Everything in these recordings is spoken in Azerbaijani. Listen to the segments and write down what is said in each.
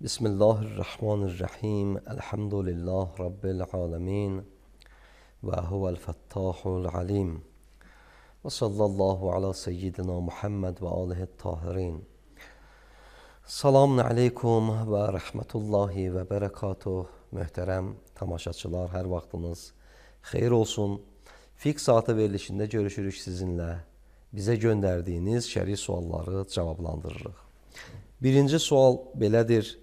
Bismillahirrahmanirrahim. Elhamdülillah Rabbil alemin. Ve huvel fettahul alim. Ve sallallahu ala seyyidina Muhammed ve alihi tahirin. Selamun aleykum ve rahmetullahi ve berekatuh. Möhtərəm tamaşaçılar, hər vaxtınız xeyir olsun. Fiqh saatı verilişində görüşürük sizinlə. Bizə göndərdiyiniz şəri sualları cavablandırırıq. Birinci sual belədir.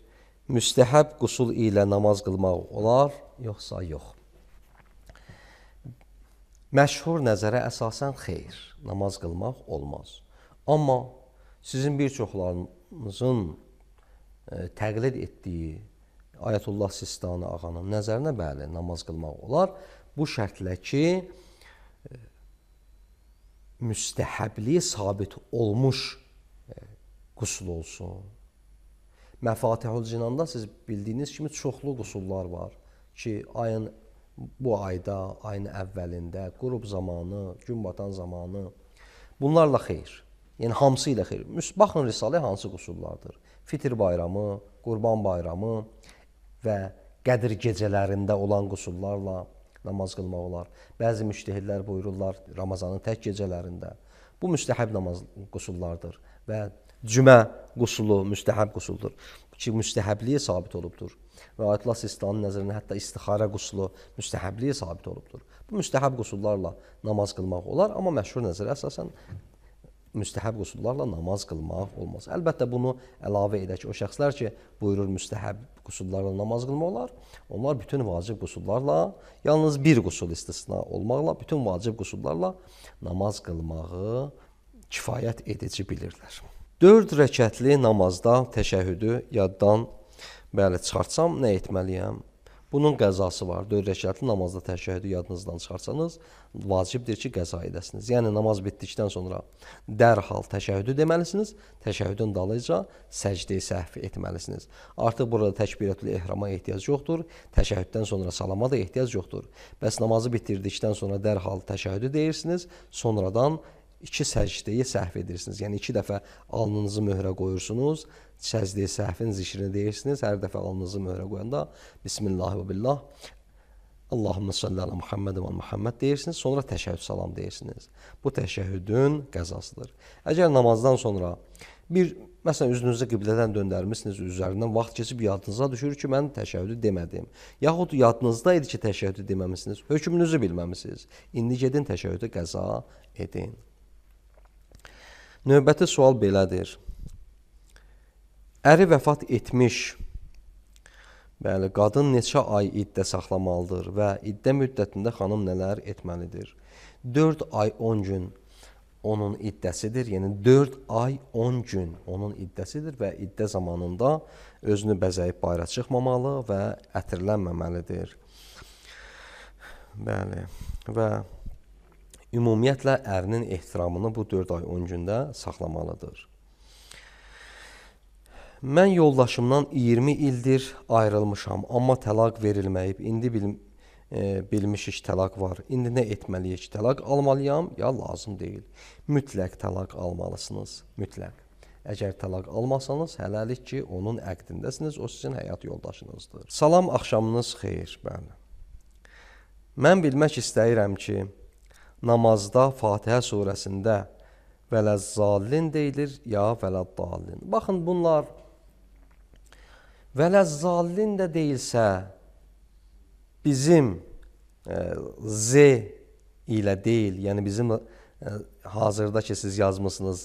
Müstəhəb qusul ilə namaz qılmaq olar, yoxsa yox? Məşhur nəzərə əsasən xeyr, namaz qılmaq olmaz. Amma sizin bir çoxlarınızın təqlid etdiyi Ayətullah Sistani ağanın nəzərinə bəli, namaz qılmaq olar. Bu şərtlə ki, müstəhəbliyi sabit olmuş qusul olsun. Məfatihul Cinanda siz bildiyiniz kimi çoxlu qusullar var ki, bu ayda, ayın əvvəlində, qurub zamanı, gün batan zamanı, bunlarla xeyr. Yəni, hamısı ilə xeyr. Baxın, Risalə hansı qusullardır? Fitr bayramı, Qurban bayramı və Qədir gecələrində olan qusullarla namaz qılmaq olar. Bəzi müştəhidlər buyururlar Ramazanın tək gecələrində. Bu müstəhəb namaz qusullardır və cümə qusulu müstəhəb qusuldur ki, müstəhəbliyi sabit olubdur. Və Ayətullah Sistaninin nəzərində hətta istixarə qusulu müstəhəbliyi sabit olubdur. Bu müstəhəb qusullarla namaz qılmaq olar, amma məşhur nəzərə əsasən müstəhəb qusullarla namaz qılmaq olmaz. Əlbəttə, bunu əlavə edək. O şəxslər ki, buyurur müstəhəb qusullarla namaz qılmaq olar, onlar bütün vacib qusullarla, yalnız bir qusul istisna olmaqla, bütün vacib qusullarla namaz qılmağı kifayət edici bilirlər. 4 rəkətli namazda təşəhhüdü yaddan çıxartsam, nə etməliyəm? Bunun qəzası var. 4 rəkətli namazda təşəhhüdü yadınızdan çıxarsanız, vacibdir ki, qəza edəsiniz. Yəni, namaz bitdikdən sonra dərhal təşəhhüdü deməlisiniz, təşəhhüdün dalıca səcdə-i səhv etməlisiniz. Artıq burada təkbirətül ehrama ehtiyac yoxdur, təşəhhüddən sonra salama da ehtiyac yoxdur. Bəs namazı bitirdikdən sonra dərhal təşəhhüdü deyirsiniz, sonradan 2 səcdəyi səhv edirsiniz. Yəni, 2 dəfə alnınızı möhrə qoyursunuz, səcdə-i səhvin zikrini deyirsiniz. Hər dəfə alnınızı möhrə qoyanda Bismillah və billah, Allahümme salli ala Muhammed və Muhammed deyirsiniz, sonra təşəhhüd salam deyirsiniz. Bu təşəhhüdün qəzasıdır. Əgər namazdan sonra məsələn, üzünüzü qiblədən döndərmişsiniz, üzərindən vaxt keçib yadınıza düşür ki, mən təşəhhüdü demədim. Yaxud yadınızda idi ki, təşəhhüdü deməmişsiniz, hökmünüzü bilməmişsiniz. İndi gedin təşəhhüdü qəza edin. Növbəti sual belədir. Əri vəfat etmiş, qadın neçə ay iddə saxlamalıdır və iddə müddətində xanım nələr etməlidir? 4 ay 10 gün onun iddəsidir, yəni 4 ay 10 gün onun iddəsidir və iddə zamanında özünü bəzəyib bayra çıxmamalı və ətirlənməməlidir. Və ümumiyyətlə, ərinin ehtiramını bu 4 ay 10 gündə saxlamalıdır. Mən yoldaşımdan 20 ildir ayrılmışam, amma təlaq verilməyib. İndi bilmişik təlaq var. İndi nə etməliyik? Təlaq almalıyam, ya lazım deyil. Mütləq təlaq almalısınız, mütləq. Əgər təlaq almasanız, hələlik ki, onun əqdindəsiniz, o sizin həyat yoldaşınızdır. Salam, axşamınız xeyir. Mən bilmək istəyirəm ki, namazda Fatihə surəsində vələzzallin deyilir, ya vələddallin. Baxın, bunlar vələzzallin də deyilsə, bizim Z ilə deyil, yəni bizim hazırda ki, siz yazmışsınız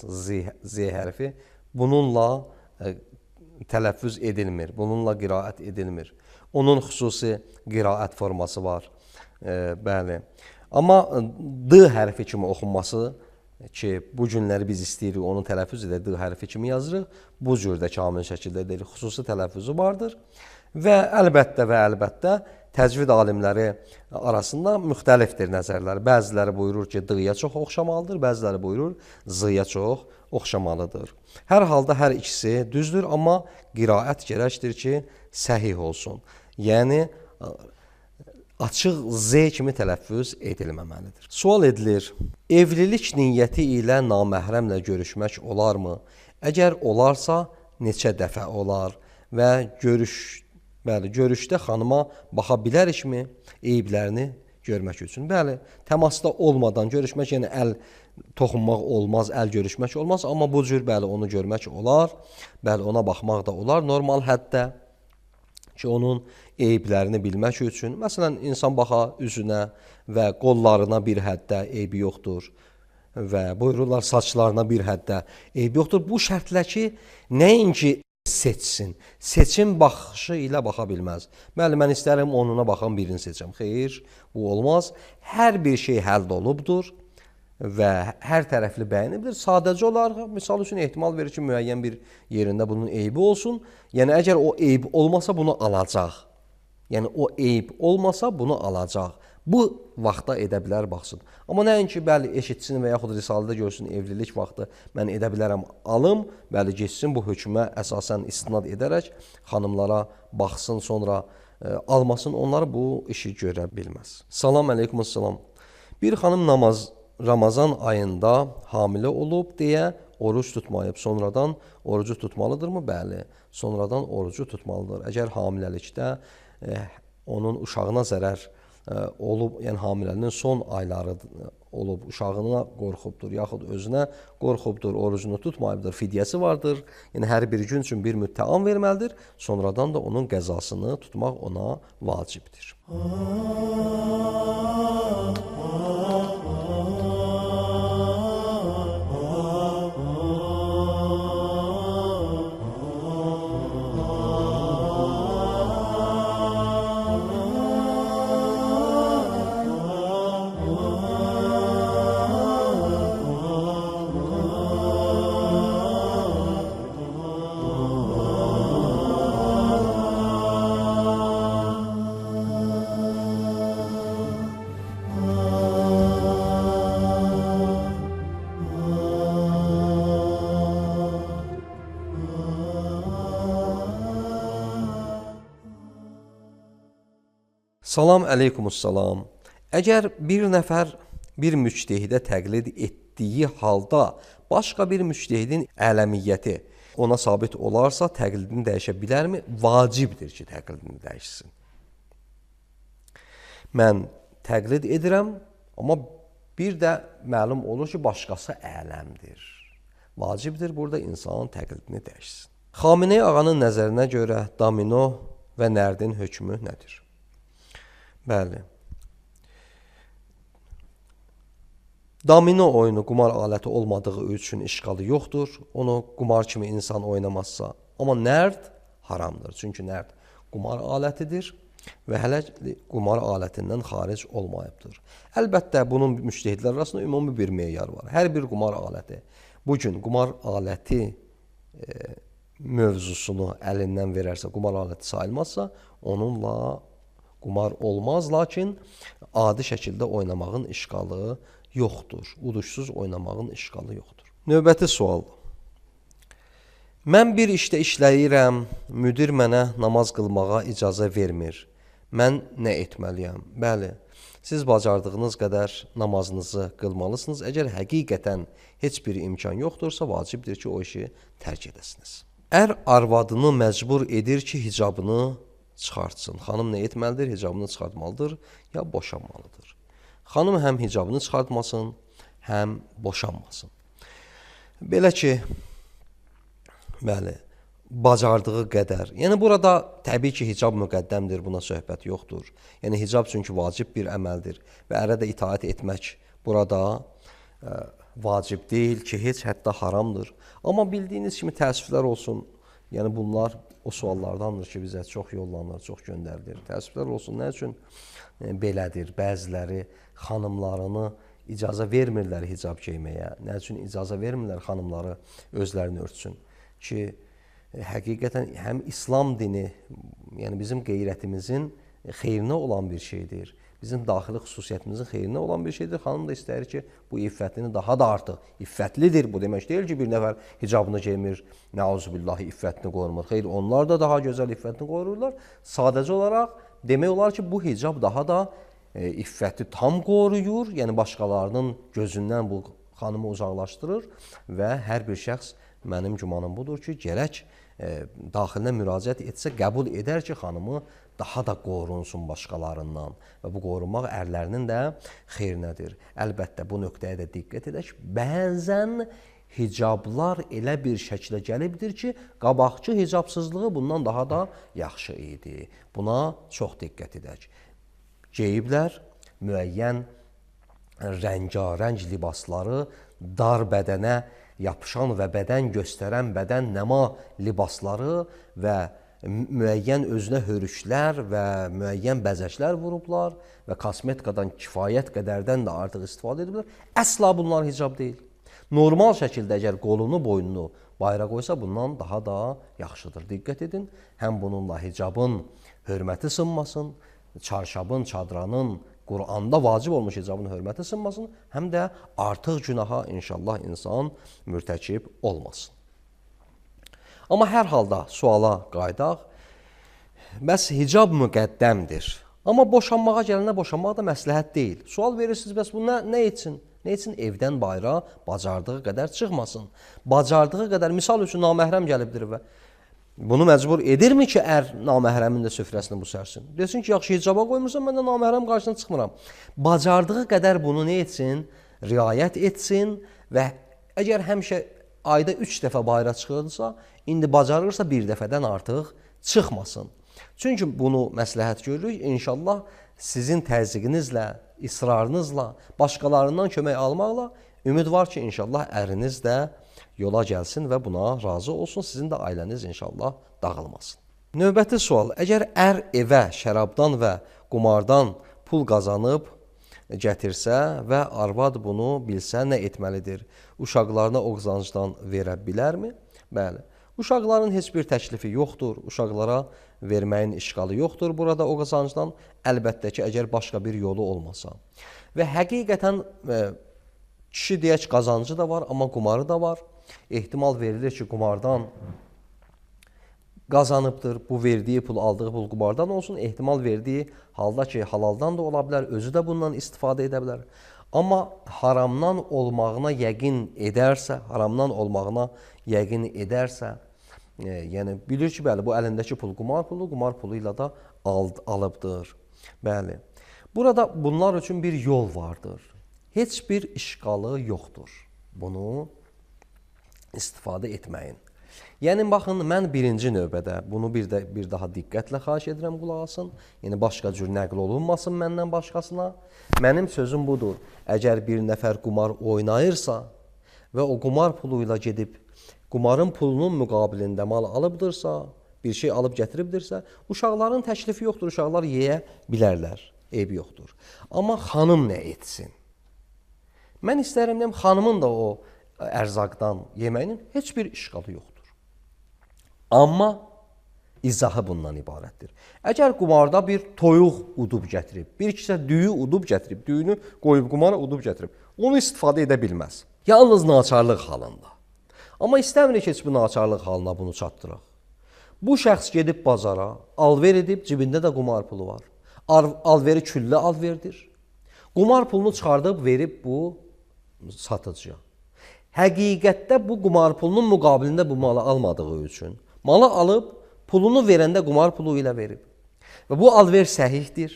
Z hərfi, bununla tələffüz edilmir, bununla qiraət edilmir. Onun xüsusi qiraət forması var, bəli. Amma D hərfi kimi oxunması ki, bu günləri biz istəyirik, onun tələffüz edə D hərfi kimi yazırıq, bu cürdə kamil şəkildə deyirik, xüsusi tələffüzü vardır və əlbəttə təcvid alimləri arasında müxtəlifdir nəzərlər. Bəziləri buyurur ki, D-yə çox oxşamalıdır, bəziləri buyurur Z-yə çox oxşamalıdır. Hər halda hər ikisi düzdür, amma qiraət gərəkdir ki, səhih olsun. Yəni, açıq Z kimi tələffüz edilməməlidir. Sual edilir, evlilik niyyəti ilə naməhrəmlə görüşmək olarmı? Əgər olarsa, neçə dəfə olar və görüşdə xanıma baxa bilərikmi eyiblərini görmək üçün? Bəli, təmasda olmadan görüşmək, yəni əl toxunmaq olmaz, əl görüşmək olmaz, amma bu cür bəli onu görmək olar, bəli ona baxmaq da olar normal həddə ki, onun eyiblərini bilmək üçün. Məsələn, insan baxa üzünə və qollarına bir həddə eybi yoxdur və buyururlar saçlarına bir həddə eybi yoxdur. Bu şərtlə ki, nəinki seçsin, seçim baxışı ilə baxa bilməz. Bəli, mən istərəm onuna baxan birini seçəm. Xeyr, bu olmaz. Hər bir şey həll olubdur və hər tərəfli bəyənibdir. Sadəcə olaraq, misal üçün ehtimal verir ki, müəyyən bir yerində bunun eybi olsun. Yəni, əgər o eyb olmasa bunu alacaq. Yəni, o eyb olmasa bunu alacaq. Bu vaxtda edə bilər, baxsın. Amma nəinki, bəli, eşitsin və yaxud risalədə görsün, evlilik vaxtı mən edə bilərəm, alım, bəli, geçsin bu hökmə əsasən istinad edərək xanımlara baxsın, sonra almasın, onlar bu işi görə bilməz. Salam əleykumussalam. Bir xanım Ramazan ayında hamilə olub deyə oruç tutmayıb, sonradan orucu tutmalıdırmı? Bəli, sonradan orucu tutmalıdır. Əgər hamiləlikdə onun uşağına zərər olub, yəni hamiləlinin son ayları olub, uşağına qorxubdur, yaxud özünə qorxubdur, orucunu tutmayıbdır, fidyəsi vardır. Yəni, hər bir gün üçün bir müddət verməlidir, sonradan da onun qəzasını tutmaq ona vacibdir. Salam əleykumussalam. Əgər bir nəfər bir müctehidə təqlid etdiyi halda başqa bir müctehidin ələmiyyəti ona sabit olarsa təqlidini dəyişə bilərmi? Vacibdir ki, təqlidini dəyişsin. Mən təqlid edirəm, amma bir də məlum olur ki, başqası ələmdir. Vacibdir burada insanın təqlidini dəyişsin. Xamenei ağanın nəzərinə görə domino və nərdin hökmü nədir? Bəli. Domino oyunu qumar aləti olmadığı üçün işğalı yoxdur. Onu qumar kimi insan oynamazsa. Amma nərd haramdır. Çünki nərd qumar alətidir və hələ qumar alətindən xaric olmayıbdır. Əlbəttə, bunun müctehidlər arasında ümumi bir meyar var. Hər bir qumar aləti, bugün qumar aləti mövzusunu əlindən verərsə, qumar aləti sayılmazsa, onunla qumar olmaz, lakin adi şəkildə oynamağın işğalı yoxdur. Uduşsuz oynamağın işğalı yoxdur. Növbəti sual. Mən bir işdə işləyirəm, müdir mənə namaz qılmağa icazə vermir. Mən nə etməliyəm? Bəli, siz bacardığınız qədər namazınızı qılmalısınız. Əgər həqiqətən heç bir imkan yoxdursa, vacibdir ki, o işi tərk edəsiniz. Ər arvadını məcbur edir ki, hicabını çıxartsın. Xanım nə etməlidir? Hicabını çıxartmalıdır, ya boşanmalıdır. Xanım həm hicabını çıxartmasın, həm boşanmasın. Belə ki, bəli, bacardığı qədər. Yəni, burada təbii ki, hicab müqəddəmdir, buna söhbət yoxdur. Yəni, hicab çünki vacib bir əməldir və ərə də itaət etmək burada vacib deyil ki, heç hətta haramdır. Amma bildiyiniz kimi təəssüflər olsun, yəni bunlar o suallardandır ki, bizə çox yollanır, çox göndərilir. Təəssüflər olsun, nə üçün belədir? Bəziləri xanımlarını icazə vermirlər hicab geyməyə. Nə üçün icazə vermirlər xanımları özlərini örtsün? Ki, həqiqətən həm İslam dini, yəni bizim qeyrətimizin xeyrinə olan bir şeydir. Bizim daxili xüsusiyyətimizin xeyrinə olan bir şeydir. Xanım da istəyir ki, bu iffətini daha da artıq iffətlidir. Bu demək deyil ki, bir nəfər hicabını geymir, nəuzubillahi iffətini qorumur. Xeyr, onlar da daha gözəl iffətini qorurlar. Sadəcə olaraq demək olar ki, bu hicab daha da iffəti tam qoruyur. Yəni, başqalarının gözündən bu xanımı uzaqlaşdırır və hər bir şəxs mənim gümanım budur ki, gərək daxilinə müraciət etsə, qəbul edər ki, xanımı daha da qorunsun başqalarından və bu qorunmaq ərlərinin də xeyrinədir. Əlbəttə, bu nöqtəyə də diqqət edək. Bəzən hicablar elə bir şəklə gəlibdir ki, qabaqçı hicabsızlığı bundan daha da yaxşı idi. Buna çox diqqət edək. Geyiblər müəyyən rəngarəng libasları, dar bədənə yapışan və bədən göstərən bədən nəma libasları və müəyyən özünə hörüklər və müəyyən bəzəklər vurublar və kosmetikadan kifayət qədərdən də artıq istifadə ediblər. Əsla bunlar hicab deyil. Normal şəkildə əgər qolunu, boynunu bayra qoysa bundan daha da yaxşıdır. Diqqət edin, həm bununla hicabın hörməti sınmasın, çarşabın, çadranın, Quranda vacib olmuş hicabın hörməti sınmasın, həm də artıq günaha inşallah insan mürtəkib olmasın. Amma hər halda suala qaydaq, bəs hicab müqəddəmdir. Amma boşanmağa gələndə boşanmaq da məsləhət deyil. Sual verirsiniz, bəs bu nə üçün? Nə üçün evdən bayra bacardığı qədər çıxmasın? Bacardığı qədər, misal üçün naməhrəm gəlibdir və bunu məcbur edirmi ki, ər naməhrəmin də süfrəsini bu sərsin? Desin ki, yaxşı hicaba qoymursan, mən də naməhrəm qarşısına çıxmıram. Bacardığı qədər bunu nə etsin? Riayət etsin və əgər həmişə ayda 3 dəfə bayra çıxırsa, indi bacarırsa bir dəfədən artıq çıxmasın. Çünki bunu məsləhət görürük, inşallah sizin təzyiqinizlə, israrınızla, başqalarından kömək almaqla ümid var ki, inşallah əriniz də yola gəlsin və buna razı olsun, sizin də ailəniz inşallah dağılmasın. Növbəti sual, əgər ər evə şərabdan və qumardan pul qazanıb gətirsə və arvad bunu bilsə nə etməlidir? Uşaqlarına o qazancdan verə bilərmi? Bəli. Uşaqların heç bir təklifi yoxdur, uşaqlara verməyin işğalı yoxdur burada o qazancdan, əlbəttə ki, əgər başqa bir yolu olmasa. Və həqiqətən kişi deyək qazancı da var, amma qumarı da var. Ehtimal verilir ki, qumardan qazanıbdır, bu verdiyi pul, aldığı pul qumardan olsun. Ehtimal verdiyi halda ki, halaldan da ola bilər, özü də bundan istifadə edə bilər. Amma haramdan olmağına yəqin edərsə, yəni bilir ki, bəli, bu əlindəki pul qumar pulu ilə də alıbdır. Bəli. Burada bunlar üçün bir yol vardır. Heç bir işğalı yoxdur. Bunu istifadə etməyin. Yəni, baxın, mən birinci növbədə bunu bir daha diqqətlə xahiş edirəm, qulaq asın. Yəni, başqa cür nəql olunmasın məndən başqasına. Mənim sözüm budur. Əgər bir nəfər qumar oynayırsa və o qumar pulu ilə gedib, qumarın pulunun müqabilində mal alıbdırsa, bir şey alıb gətiribdirsə, uşaqların təklifi yoxdur, uşaqlar yeyə bilərlər, eybi yoxdur. Amma xanım nə etsin? Mən istərəm deyəm, xanımın da o ərzaqdan yeməyinin heç bir işğalı yoxdur. Amma izahı bundan ibarətdir. Əgər qumarda bir toyuq udub gətirib, bir kisə düyü udub gətirib, düyünü qoyub qumara udub gətirib, onu istifadə edə bilməz. Yalnız naçarlıq halında. Amma istəmirik ki, heç bu naçarlıq halına bunu çatdıraq. Bu şəxs gedib bazara, alver edib, cibində də qumar pulu var. Alveri küllə alverdir. Qumar pulunu çıxardıb, verib bu satıcıya. Həqiqətdə bu qumar pulunun müqabilində bu malı almadığı üçün, malı alıb, pulunu verəndə qumar pulu ilə verib. Və bu alver səhihdir.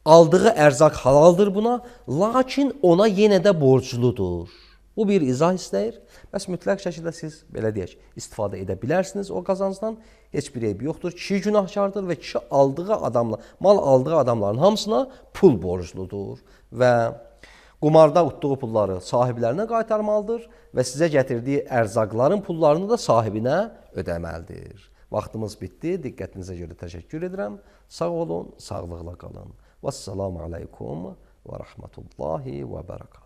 Aldığı ərzaq halaldır buna, lakin ona yenə də borcludur. Bu bir izah istəyir. Bəs mütləq şəkildə siz, belə deyək, istifadə edə bilərsiniz o qazancdan. Heç bir eybi yoxdur. Kişi günahkardır və kişi mal aldığı adamların hamısına pul borcludur. Və qumarda utduğu pulları sahiblərinə qaytarmalıdır və sizə gətirdiyi ərzaqların pullarını da sahibinə ödəməlidir. Vaxtımız bitdi. Diqqətinizə görə təşəkkür edirəm. Sağ olun, sağlıqla qalın. Vəssalamu aleykum və rəhmətullahi və bərəkatuhu.